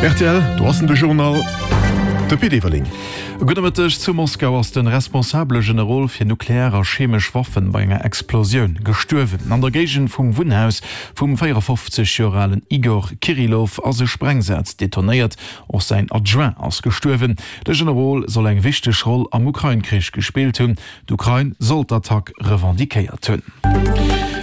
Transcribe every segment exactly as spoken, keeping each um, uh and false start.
Rtl, do ass en de Journal, de Pit Everling. Gudde Mëtteg, Zu Moskau ass de responsabele Generol fir nuklear a chemesch Waffen bei enger Explosioun gestuerwen. An der Géigend vum Wunnhaus vum véierafofzeg Joer alen Igor Kirillov ass e Sprengsaz detonéiert. Och säin Adjoint ass gestuerwen. De Generol soll eng wichteg Roll am Ukrain-Krich gespillt hunn. D'Ukrain soll d'Attack revendiquéiert hunn.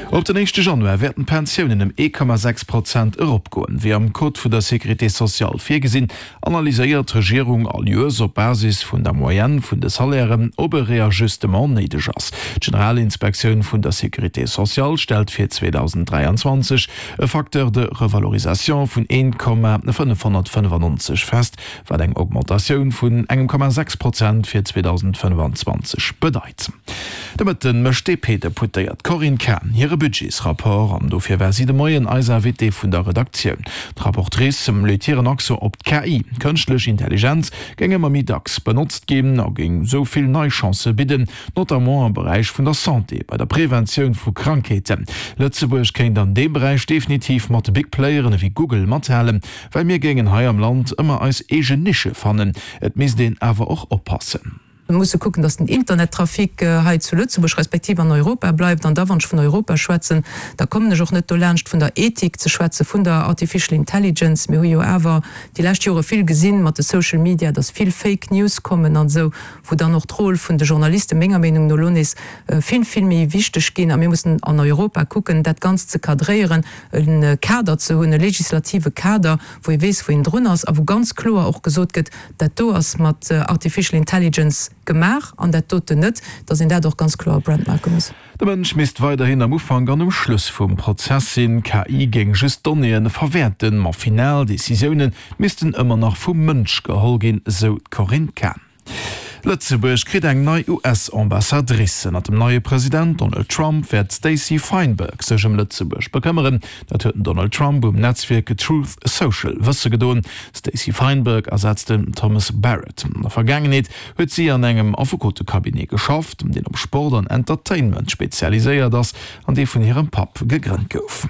Op den éischte Januar wäerten d'Pensiounen ëm ee Komma sechs Prozent eropgoen. Wéi am Code vun der Sécurité sociale virgesinn, analyséiert d'Regierung all Joers op Basis vun der Moyenne vun de Salairen, ob e Reajustement néideg ass. D'Generalinspektioun vun der Sécurité sociale stellt fir zweedausenddräianzwanzeg e Facteur de revalorisation vun een Komma fënnefhonnertfënnefannonzeg fest, wat eng Augmentatioun vun engem Komma sechs Prozent fir zweedausendfënnefanzwanzeg bedeit. De Mëtten mécht d'DP-Deputéiert Corinne Cahen hire Budgetsrapport an dofir war si de Moien eis Invitée vun der Redaktioun. D'Rapportrice leet hiren Accent op d'K I, Kënschtlech Intelligenz géing ëmmer méi dacks benotzt ginn a géing sou vill nei Chancë bidden, notamment am Beräich vun der Santé, bei der Preventioun vu Krankheeten. Lëtzebuerg kéint an deem Beräich definitiv mat de Big Playeren ewéi Google mathalen, well mir géingen hei am Land ëmmer eis eegen Nische fannen. Et misst een awer och oppassen. Mir musse kucken, dass den Internettrafic hei zu Lëtzebuerg respektiv an Europa bleift. An da, wann ech vun Europa schwätzen, da kommen ech och net dolaanscht, vun der Ethik ze schwätzen, vun der Artificial Intelligence. Mir hu jo awer déi lescht Jore vill gesinn mat de Social Media, dass vill Fake News kommen an esou, wou dann och d'Rôle vun de Journaliste menger Meenung no elo nees vill, vill méi wichteg ginn. A mir mussen an Europa kucken, dat Ganzt ze cadréieren, e Kader ze hunn, e legislative Kader, wou ee weess, wou een drun ass a wou ganz kloer och gesot gëtt, Dat do ass mat Artificial Intelligence gemaach an dat doten net, dass een dat och ganz kloer brandmarke muss. De Mënsch misst weiderhin am Ufank an um Schluss vum Prozess sinn. K I géing just Donnéeë verwäerten, ma final Decisioune missten ëmmer nach vum Mënsch geholl ginn, sou d'Corinne Cahen. Lëtzebuerg kritt eng nei U S-Ambassadrice. Ënnert dem neie President Donald Trump wäert d'Stacey Feinberg sech ëm Lëtzebuerg bekëmmeren. Dat huet den Donald Trump um Netzwierk Truth Social wësse gedoen. D'Stacey Feinberg ersetzt den Thomas Barrett. An der Vergaangenheet huet si an engem Affekotecabinet geschafft, deen op Sport an Entertainment spezialiséiert ass an dee vun hirem Papp gegrënnt gouf.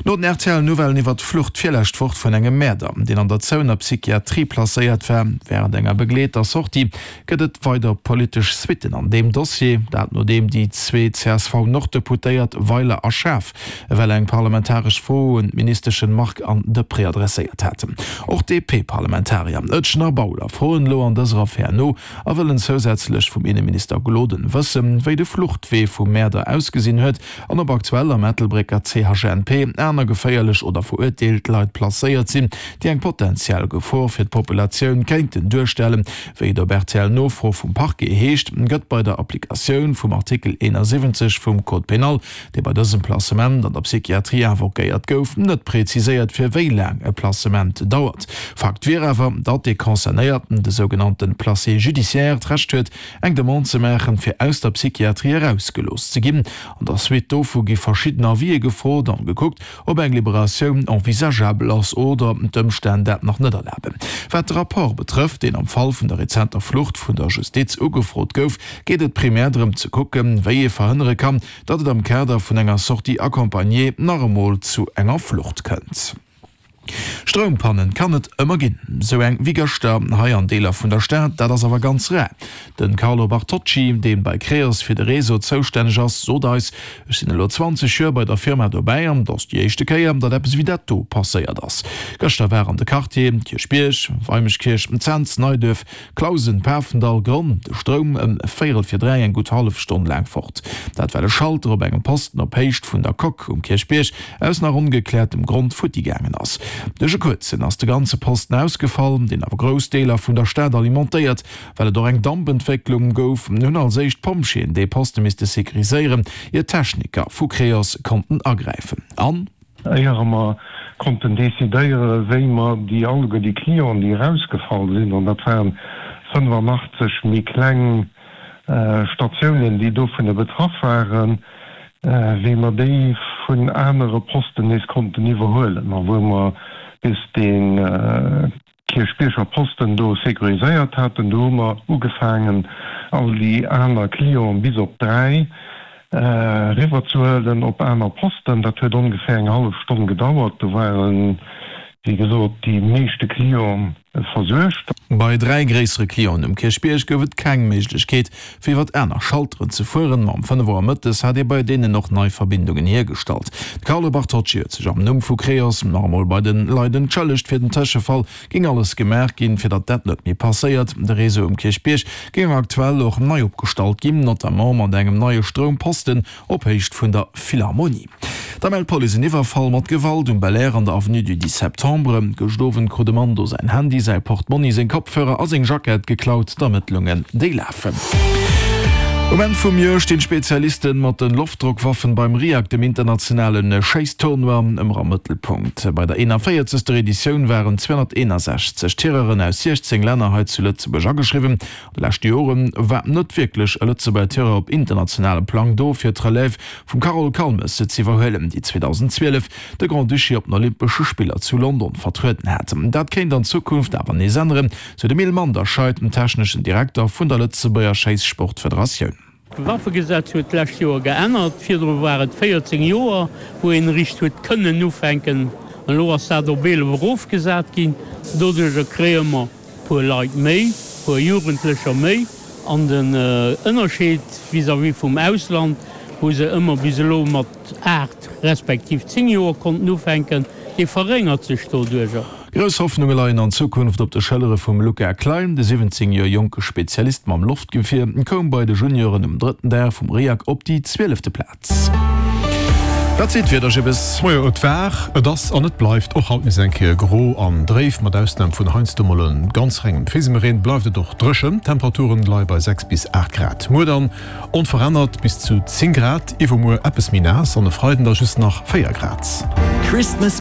No den R T L-Nouvellen iwwer d'Flucht virlescht Woch vun engem Mäerder, deen an der zouener Psychiatrie placéiert war, wärend enger begleeter Sortie, gëtt et weider politesch Suitten an deem Dossier. Dat nodeem déi zwee C S V-Norddeputéiert Weiler a Schaaf ewell eng parlamentaresch Fro un d'Ministeschen Margue an Deprez adresséiert haten. Och d'D P-Parlamentarier Etgen a Bauler froen elo an dëser Affär no a wëllen zousätzlech vum Inneminister Gloden wëssen, wéi de Fluchtwee vum Mäerder ausgesinn huet an ob aktuell am Ettelbrécker C H N P aner geféierlech oder verurteelt Leit placéiert sinn, déi eng potentiell Gefor fir d'Populatioun kéinten duerstellen. Wéi et op R T L-Nofro vum Parquet heescht, gëtt bei der Applikatioun vum Artikel eenasiwwenzeg vum Code pénal, dee bei dësem Placement an der Psychiatrie invoquéiert gouf, net preziséiert, fir wéi laang e Placement dauert. Fakt wier awer, datt dee Concernéierten, de sougenannte Placé judiciaire, d'Recht huet, eng Demande ze maachen, fir aus der Psychiatrie erausgelooss ze ginn. An der Suite dovu gi verschidden Avisë gefrot an gekuckt, ob eng Liberatioun envisageabel ass oder d'Ëmstänn dat nach net erlaben. Wat de Rapport betrëfft, deen am Fall vun der rezenter Flucht vun der Justiz ugefrot gouf, geet et primär drëm ze kucken, wéi ee verhënnere kann, datt et am Kader vun enger Sortie accompagnée nach emol zu enger Flucht kënnt. Stroumpannen kann et ëmmer ginn, sou eng wéi gëschter hei an Deeler vun der Stad, dat ass awer ganz rar. De Carlo Bartocci, dee bei Creos fir de Réseau zoustänneg ass, sot eis, Ech sinn elo zwanzeg Joer bei der Firma dobäi an et ass déi éischte Kéier, datt eppes wéi dat do passéiert ass. Gëschter war an de Quartieren Kierchbierg, Weimeschkierch, Cents, Neiduerf, Clausen, Pafendall, Gronn de Stroum ëm véierel vir dräi eng gutt hallef Stonn laang fort. Dat well e Schalter op engem Posten op Héicht vun der Coque um Kierchbierg aus nach ongekläertem Grond futti gaangen ass. Duerch e kuerzen ass de ganze Posten ausgefall, deen awer grouss Deeler vun der Stad alimentéiert. Well et och eng Dampentwécklung gouf, hunn als éischt d'Pompjeeën dee Poste misste securiséieren, ier d'Techniker vu Creos konnten agräifen. An. Éier mer konnten decidéieren, wéi mer déi alleguer déi Clienten, déi erausgefall sinn, an dat waren fënnefanachtzeeg méi kleng Statiounen, déi dovunner betraff waren, wéi mer déi vun anere Posten nees konnten iwwerhuelen a wou mer bis dee Kierchbierger Posten do sécuriséiert haten, do hu mer ugefaangen, all déi aner Clienten bis op dräi eriwwerzehuelen op aner Posten. Dat huet ongeféier eng hallef Stonn gedauert. Do waren wéi gesot, déi meeschte Clienten versuergt. Bei dräi gréissere Clienten um Kierchbierg gouf et keng Méiglechkeet, fir iwwert aner Schalteren ze fueren. Ma um fënnef Auer mëttes hat ee bei deenen och nei Verbindungen hiergestallt. De Carlo Bartocci huet sech am Numm vu Creos nach emol bei de Leit entschëllegt. Fir den Tëschefall géing alles gemaach ginn, fir datt dat net méi passéiert. De Réseau um Kierchbierg géing aktuell och nei opgestallt ginn, notamment mat engem neie Stroumposten op Héicht vun der Philharmonie. Da mellt d'Police en Iwwerfall mat Gewalt um Belair an der Avenue du dix septembre. Gëscht Owend krut e Mann do säin Handy, säi Portmonni, seng Kopfhörer a seng Jackett geklaut. D'Ermëttlungen, déi lafen. Um Enn vum Joer stinn d'Spezialisten mat den Loftdrockwaffen beim RIAC, dem internationalen Schéisstournoi, ëmmer am Mëttelpunkt. Bei der eenanvéierzegster Editioun waren zweehonnerteenasechzeg Tireuren aus siechzéng Länner hei zu Lëtzebuerg ageschriwwen. An de leschte Jore war net wierklech e Lëtzebuerger Tireur op internationalem Plang do, fir d'Relève vum Carole Calmes z'iwwerhuelen, déi zweedausendzwielef de Grand-Duché op den Olympesche Spiller zu London vertrueden hat. Dat kéint an Zukunft awer nees änneren, sou de Mil Manderscheid, den techneschen Direkter vun der Lëtzebuerger Schéissportfederatioun. D'Waffegesetz huet d'lescht Joer geännert. Virdru war et véierzéng Joer, wou een eréischt huet kënnen ufänken. Elo ass dat op eelef erofgesat ginn. Doduerjer kréie mer e puer Leit méi, e puer Jugendlecher méi. An den Ënnerscheed vis-à-vis vum Ausland, wou se ëmmer bis elo mat aacht respektiv zéng Joer konnten ufänken, dee verréngert sech doduerjer. Grouss Hoffnunge leien an Zukunft op de Schëllere vum Luca Klein. De siwwenzéng Joer jonke Spezialist mam Loftgewier koum bei de Junioren um drëtten Dag vum RIAC op déi zwielefte Plaz. Wat seet d'Wieder, Jibbes? Majo, et war, et ass an et bleift och haut nees eng Kéier gro an dréif. Mat Ausnam vun heiansdo mol e ganz rengem Fisemereen bleift et och dréchen. D'Temperaturen leie bei sechs bis aacht Grad. Muer dann onverännert bis zu zéng Grad, iwwermuer eppes méi naass an e Freiden da just nach véier Grad. Christmas.